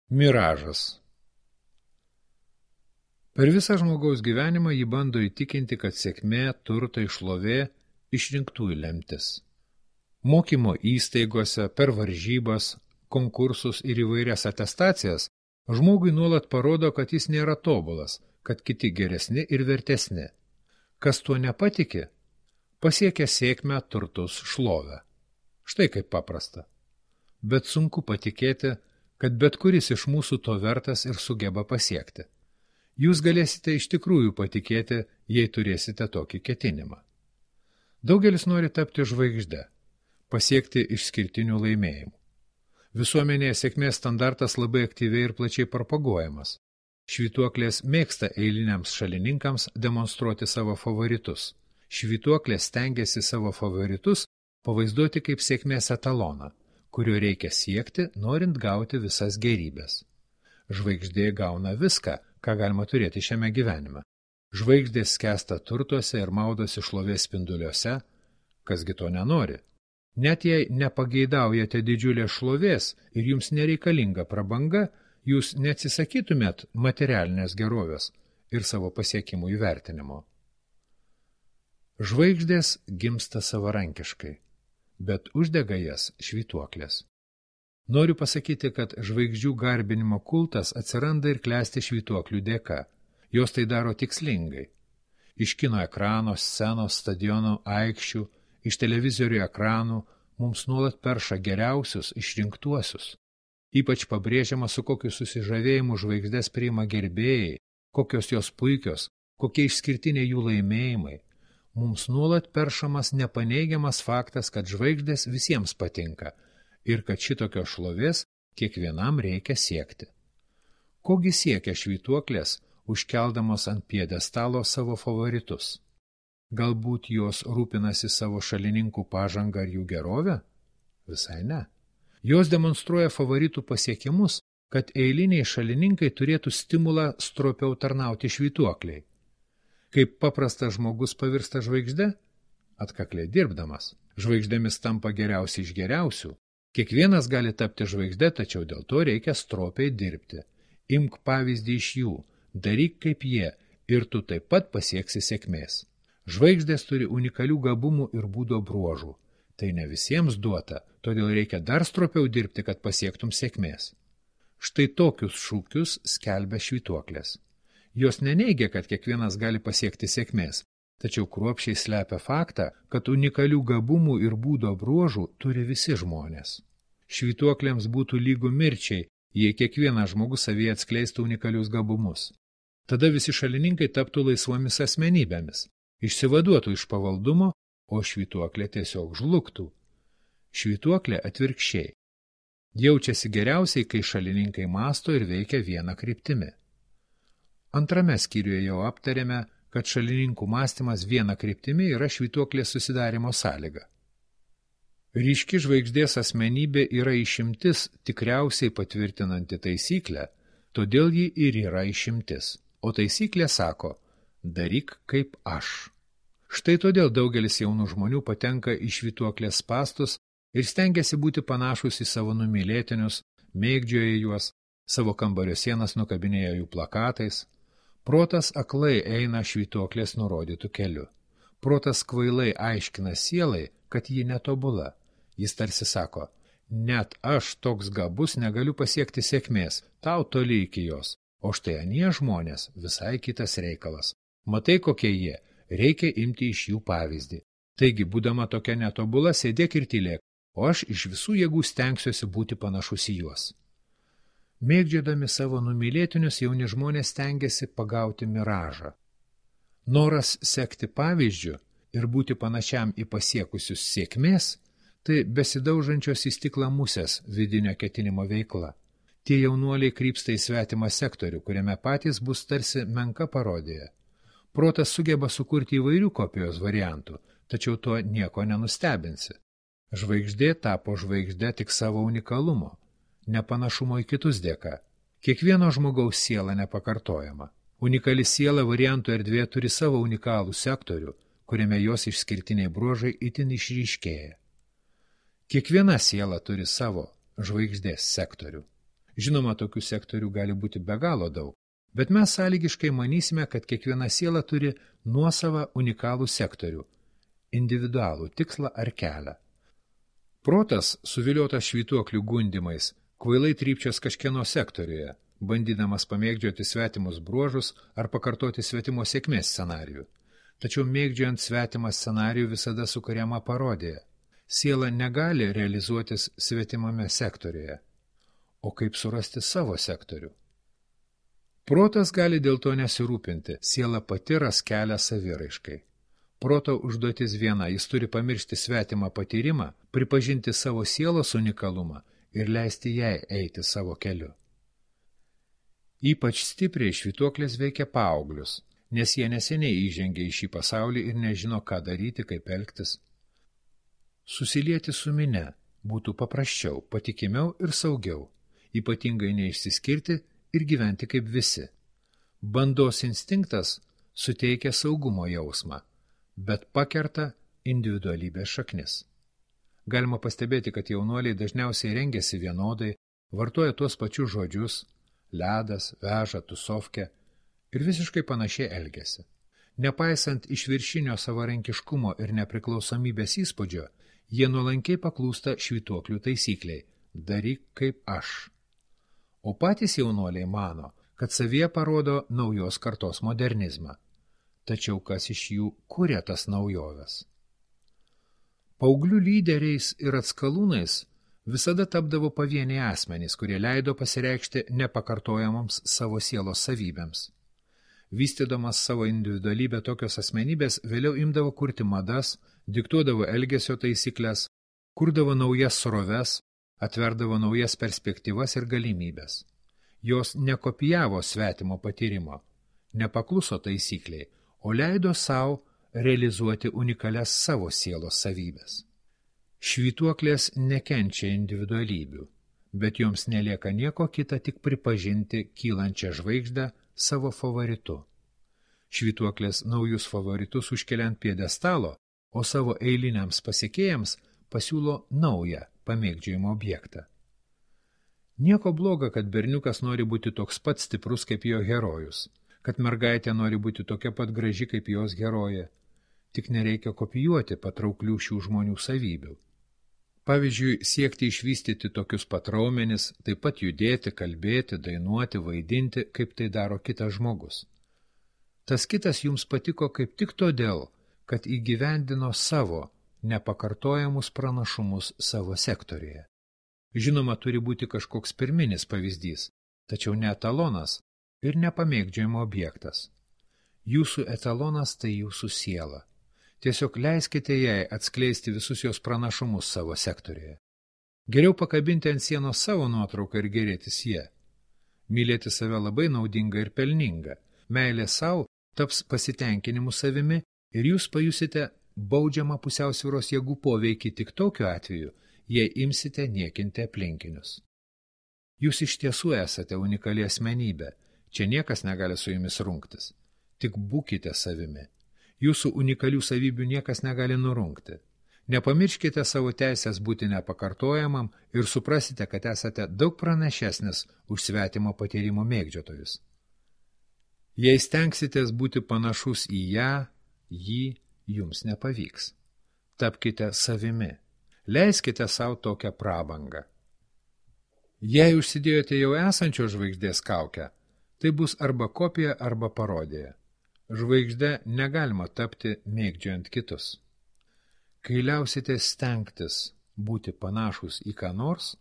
Miražas. Per visą žmogaus gyvenimą jį bando įtikinti, kad sėkmė, turtai, šlovė išrinktųjų lemtis. Mokymo įstaigose, per varžybas, konkursus ir įvairias atestacijas žmogui nuolat parodo, kad jis nėra tobulas, kad kiti geresni ir vertesni. Kas tuo nepatiki, pasiekia sėkmę, turtus, šlovę. Štai kaip paprasta. Bet sunku patikėti, kad bet kuris iš mūsų to vertas ir sugeba pasiekti. Jūs galėsite iš tikrųjų patikėti, jei turėsite tokį ketinimą. Daugelis nori tapti žvaigžde, pasiekti išskirtinių laimėjimų. Visuomenėje sėkmės standartas labai aktyviai ir plačiai propaguojamas. Švytuoklės mėgsta eiliniams šalininkams demonstruoti savo favoritus. Švytuoklės stengiasi savo favoritus pavaizduoti kaip sėkmės etaloną, kurio reikia siekti, norint gauti visas gerybės. Žvaigždė gauna viską, ką galima turėti šiame gyvenime. Žvaigždės skęsta turtuose ir maudosi šlovės spinduliuose, kasgi to nenori. Net jei nepageidaujate didžiulės šlovės ir jums nereikalinga prabanga, jūs neatsisakytumėt materialinės gerovės ir savo pasiekimų įvertinimo. Žvaigždės gimsta savarankiškai, bet uždega jas švytuoklės. Noriu pasakyti, kad žvaigždžių garbinimo kultas atsiranda ir klesti švytuoklių dėka. Jos tai daro tikslingai. Iš kino ekrano, scenos, stadionų, aikščių, iš televizorių ekranų mums nuolat perša geriausius, išrinktuosius. Ypač pabrėžiama, su kokiu susižavėjimu žvaigždės priima gerbėjai, kokios jos puikios, kokie išskirtiniai jų laimėjimai. Mums nuolat peršamas nepaneigiamas faktas, kad žvaigždės visiems patinka ir kad šitokios šlovės kiekvienam reikia siekti. Kogi siekia švytuoklės, užkeldamos ant pjedestalo savo favoritus? Galbūt jos rūpinasi savo šalininkų pažangą ar jų gerovę? Visai ne. Jos demonstruoja favoritų pasiekimus, kad eiliniai šalininkai turėtų stimulą stropiau tarnauti švytuokliai. Kaip paprastas žmogus pavirsta žvaigžde? Atkakliai dirbdamas. Žvaigždėmis tampa geriausi iš geriausių. Kiekvienas gali tapti žvaigžde, tačiau dėl to reikia stropiai dirbti. Imk pavyzdį iš jų, daryk kaip jie ir tu taip pat pasieksi sėkmės. Žvaigždės turi unikalių gabumų ir būdo bruožų. Tai ne visiems duota, todėl reikia dar stropiau dirbti, kad pasiektum sėkmės. Štai tokius šūkius skelbia švytuoklės. Jos neneigia, kad kiekvienas gali pasiekti sėkmės, tačiau kruopščiai slepia faktą, kad unikalių gabumų ir būdo bruožų turi visi žmonės. Švytuoklėms būtų lygu mirčiai, jei kiekvienas žmogus savyje atskleistų unikalius gabumus. Tada visi šalininkai taptų laisvomis asmenybėmis, išsivaduotų iš pavaldumo, o švytuoklė tiesiog žlugtų. Švytuoklė atvirkščiai. Jaučiasi geriausiai, kai šalininkai mąsto ir veikia vieną kryptimi. Antrame skyriuje jau aptarėme, kad šalininkų mąstymas viena kryptimi yra švytuoklės susidarimo sąlyga. Ryški žvaigždės asmenybė yra išimtis, tikriausiai patvirtinanti taisyklę, todėl ji ir yra išimtis. O taisyklė sako, daryk kaip aš. Štai todėl daugelis jaunų žmonių patenka į švytuoklės spastus ir stengiasi būti panašus į savo numylėtinius, mėgdžioja juos, savo kambario sienas nukabinėja jų plakatais. Protas aklai eina švytuoklės nurodytų keliu. Protas kvailai aiškina sielai, kad ji netobula. Jis tarsi sako, net aš toks gabus negaliu pasiekti sėkmės, tau toli iki jos, o štai anie žmonės visai kitas reikalas. Matai, kokie jie, reikia imti iš jų pavyzdį. Taigi, būdama tokia netobula, sėdėk ir tylėk, o aš iš visų jėgų stengsiuosi būti panašus į juos. Mėgdžiodami savo numylėtinius, jauni žmonės stengiasi pagauti miražą. Noras sekti pavyzdžiu ir būti panašiam į pasiekusius sėkmės, tai besidaužančios į stiklą musės vidinio ketinimo veikla. Tie jaunuoliai krypsta į svetimą sektorių, kuriame patys bus tarsi menka parodija. Protas sugeba sukurti įvairių kopijos variantų, tačiau to nieko nenustebinsi. Žvaigždė tapo žvaigždė tik savo unikalumo, nepanašumo į kitus dėka. Kiekvieno žmogaus siela nepakartojama. Unikali siela variantų erdvė turi savo unikalų sektorių, kuriame jos išskirtiniai bruožai itin išryškėja. Kiekviena siela turi savo žvaigždės sektorių. Žinoma, tokių sektorių gali būti be galo daug, bet mes sąlygiškai manysime, kad kiekviena siela turi nuosavą unikalų sektorių, individualų tikslą ar kelią. Protas, suviliotas švytuoklių gundimais, kvailai trypčias kažkieno sektoriuje, bandydamas pamėgdžioti svetimus bruožus ar pakartoti svetimo sėkmės scenarijų. Tačiau mėgdžiojant svetimą scenarijų visada sukuriama parodija. Siela negali realizuotis svetimame sektoriuje. O kaip surasti savo sektorių? Protas gali dėl to nesirūpinti, siela pati ras kelią saviraiškai. Proto užduotis viena, jis turi pamiršti svetimą patyrimą, pripažinti savo sielos unikalumą ir leisti jai eiti savo keliu. Ypač stipriai švytuoklės veikia paauglius, nes jie neseniai įžengė į šį pasaulį ir nežino, ką daryti, kaip elgtis. Susilieti su minia būtų paprasčiau, patikimiau ir saugiau. Ypatingai neišsiskirti ir gyventi kaip visi. Bandos instinktas suteikia saugumo jausmą, bet pakerta individualybės šaknis. Galima pastebėti, kad jaunuoliai dažniausiai rengiasi vienodai, vartoja tuos pačius žodžius, ledas, veža, tusovkė ir visiškai panašiai elgiasi. Nepaisant išviršinio savarankiškumo ir nepriklausomybės įspūdžio, jie nuolankiai paklūsta švytuoklių taisykliai – daryk kaip aš. O patys jaunuoliai mano, kad savyje parodo naujos kartos modernizmą. Tačiau kas iš jų kuria tas naujoves? Paauglių lyderiais ir atskalūnais visada tapdavo pavieniai asmenys, kurie leido pasireikšti nepakartojamoms savo sielos savybėms. Vystydamas savo individualybę tokios asmenybės vėliau imdavo kurti madas, diktuodavo elgesio taisyklės, kurdavo naujas sroves, atverdavo naujas perspektyvas ir galimybės. Jos nekopijavo svetimo patyrimo, nepakluso taisykliai, o leido savo realizuoti unikalias savo sielos savybės. Švytuoklės nekenčia individualybių, bet joms nelieka nieko kita tik pripažinti kylančią žvaigždę savo favoritu. Švytuoklės naujus favoritus užkelia ant piedestalo, o savo eiliniams pasiekėjams pasiūlo naują pamėgdžiojimo objektą. Nieko bloga, kad berniukas nori būti toks pat stiprus kaip jo herojus, kad mergaitė nori būti tokia pat graži kaip jos herojė, tik nereikia kopijuoti patrauklių šių žmonių savybių. Pavyzdžiui, siekti išvystyti tokius pat raumenis, taip pat judėti, kalbėti, dainuoti, vaidinti, kaip tai daro kitas žmogus. Tas kitas jums patiko kaip tik todėl, kad įgyvendino savo nepakartojamus pranašumus savo sektoriuje. Žinoma, turi būti kažkoks pirminis pavyzdys, tačiau ne etalonas ir nepamėgdžiojimo objektas. Jūsų etalonas tai jūsų siela. Tiesiog leiskite jai atskleisti visus jos pranašumus savo sektoriuje. Geriau pakabinti ant sienos savo nuotrauką ir gerėtis jie. Mylėti save labai naudinga ir pelninga. Meilė sau taps pasitenkinimu savimi ir jūs pajusite baudžiamą pusiausvyros jėgų poveikį tik tokiu atveju, jei imsite niekinti aplinkinius. Jūs iš tiesų esate unikali asmenybė, čia niekas negali su jumis rungtis. Tik būkite savimi. Jūsų unikalių savybių niekas negali nurungti. Nepamirškite savo teisės būti nepakartojamam ir suprasite, kad esate daug pranašesnis už svetimo patyrimo mėgdžiotojus. Jei stengsitės būti panašus į ją, jį, jums nepavyks. Tapkite savimi. Leiskite savo tokią prabangą. Jei užsidėjote jau esančios žvaigždės kaukę, tai bus arba kopija, arba parodija. Žvaigžde negalima tapti mėgdžiojant kitus. Kai liausite stengtis būti panašus į ką nors,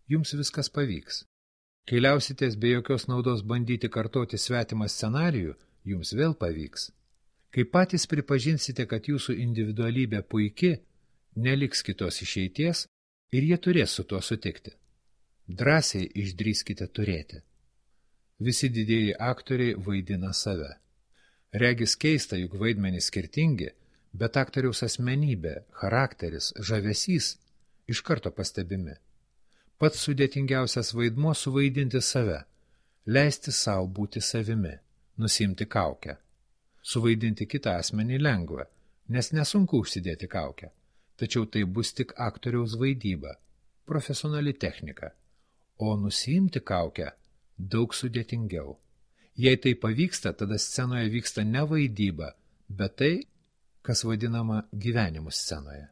jums viskas pavyks. Kai liausitės be jokios naudos bandyti kartoti svetimą scenarijų, jums vėl pavyks. Kai patys pripažinsite, kad jūsų individualybė puiki, neliks kitos išeities ir jie turės su tuo sutikti. Drąsiai išdrįskite turėti. Visi didieji aktoriai vaidina save. Regis keista, juk vaidmenys skirtingi, bet aktoriaus asmenybė, charakteris, žavesys iš karto pastebimi. Pats sudėtingiausias vaidmuo suvaidinti save, leisti savo būti savimi, nusimti kaukę. Suvaidinti kitą asmenį lengva, nes nesunku užsidėti kaukę, tačiau tai bus tik aktoriaus vaidyba, profesionali technika, o nusiimti kaukę daug sudėtingiau. Jei tai pavyksta, tada scenoje vyksta ne vaidyba, bet tai, kas vadinama gyvenimu scenoje.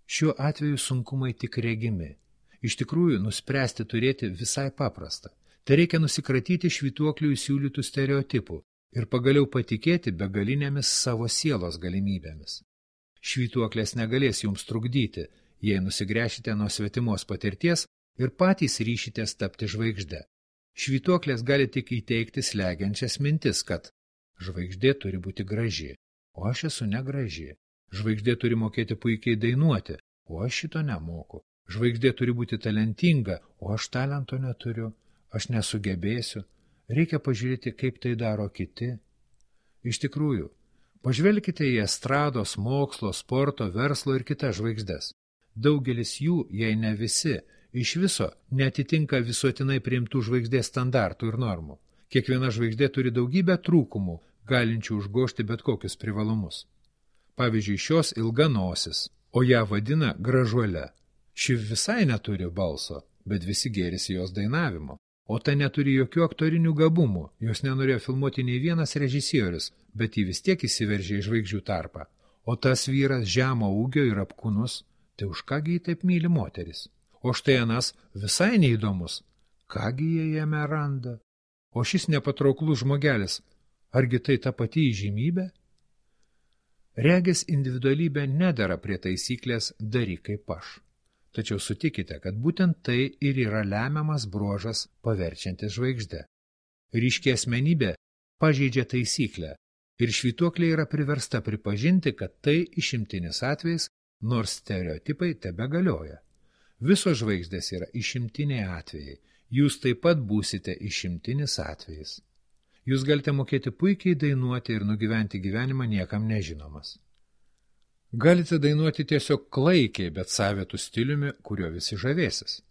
Šiuo atveju sunkumai tik regimi. Iš tikrųjų, nuspręsti turėti visai paprasta. Tai reikia nusikratyti švytuoklių įsiūlytų stereotipų ir pagaliau patikėti begalinėmis savo sielos galimybėmis. Švytuoklės negalės jums trukdyti, jei nusigręšite nuo svetimos patirties ir patys ryšitės tapti žvaigžde. Švytuoklės gali tik įteikti slegiančias mintis, kad žvaigždė turi būti graži, o aš esu negraži. Žvaigždė turi mokėti puikiai dainuoti, o aš šito nemoku. Žvaigždė turi būti talentinga, o aš talento neturiu. Aš nesugebėsiu. Reikia pažiūrėti, kaip tai daro kiti. Iš tikrųjų, pažvelkite į estrados, mokslo, sporto, verslo ir kitas žvaigždes. Daugelis jų, jei ne visi, iš viso neatitinka visuotinai priimtų žvaigždės standartų ir normų. Kiekviena žvaigždė turi daugybę trūkumų, galinčių užgožti bet kokius privalumus. Pavyzdžiui, šios ilga nosis, o ją vadina gražuole. Ši visai neturi balso, bet visi gėrisi jos dainavimo. O ta neturi jokių aktorinių gabumų, jos nenorėjo filmuoti nei vienas režisierius, bet ji vis tiek įsiveržė į žvaigždžių tarpą. O tas vyras žemo ūgio ir apkūnus, tai už kągi jį taip myli moteris? O štai anas visai neįdomus, kągi jie jame randa? O šis nepatrauklus žmogelis, argi tai ta pati įžymybė? Regis individualybė nedera prie taisyklės daryk kaip aš. Tačiau sutikite, kad būtent tai ir yra lemiamas bruožas paverčiantis žvaigždę. Ryški asmenybė pažeidžia taisyklę ir švytuoklė yra priversta pripažinti, kad tai išimtinis atvejis, nors stereotipai tebegalioja. Visos žvaigždės yra išimtiniai atvejai, jūs taip pat būsite išimtinis atvejis. Jūs galite mokėti puikiai dainuoti ir nugyventi gyvenimą niekam nežinomas. Galite dainuoti tiesiog klaikiai, bet savitų stiliumi, kurio visi žavėsis.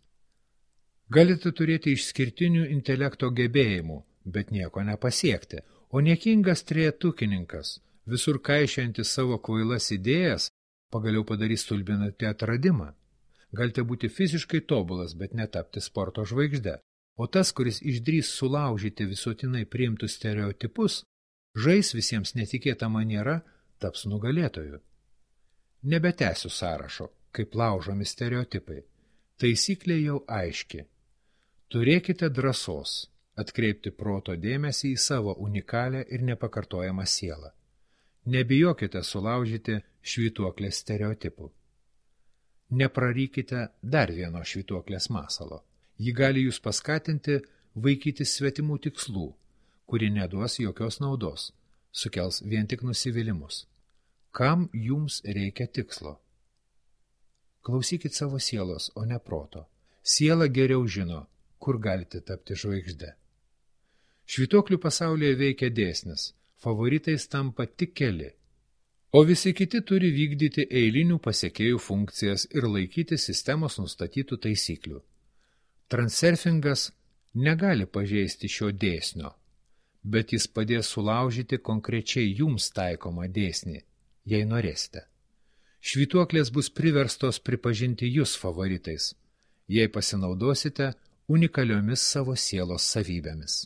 Galite turėti išskirtinių intelekto gebėjimų, bet nieko nepasiekti, o niekingas trejetukininkas, visur kaišiojantis savo kvailas idėjas, pagaliau padarys stulbinantį atradimą. Galite būti fiziškai tobulas, bet netapti sporto žvaigžde, o tas, kuris išdrįs sulaužyti visuotinai priimtus stereotipus, žais visiems netikėtą manierą, taps nugalėtoju. Nebetęsiu sąrašo, kaip laužomi stereotipai. Taisyklė jau aiški. Turėkite drąsos atkreipti proto dėmesį į savo unikalią ir nepakartojamą sielą. Nebijokite sulaužyti švytuoklės stereotipų. Neprarykite dar vieno švytuoklės masalo. Ji gali jūs paskatinti vaikytis svetimų tikslų, kuri neduos jokios naudos, sukels vien tik nusivylimus. Kam jums reikia tikslo? Klausykit savo sielos, o ne proto. Siela geriau žino, kur galite tapti žvaigžde. Švytuoklių pasaulyje veikia dėsnis, favoritais tampa tik keli, o visi kiti turi vykdyti eilinių pasekėjų funkcijas ir laikyti sistemos nustatytų taisyklių. Transurfingas negali pažeisti šio dėsnio, bet jis padės sulaužyti konkrečiai jums taikomą dėsnį, jei norėsite. Švytuoklės bus priverstos pripažinti jūs favoritais, jei pasinaudosite unikaliomis savo sielos savybėmis.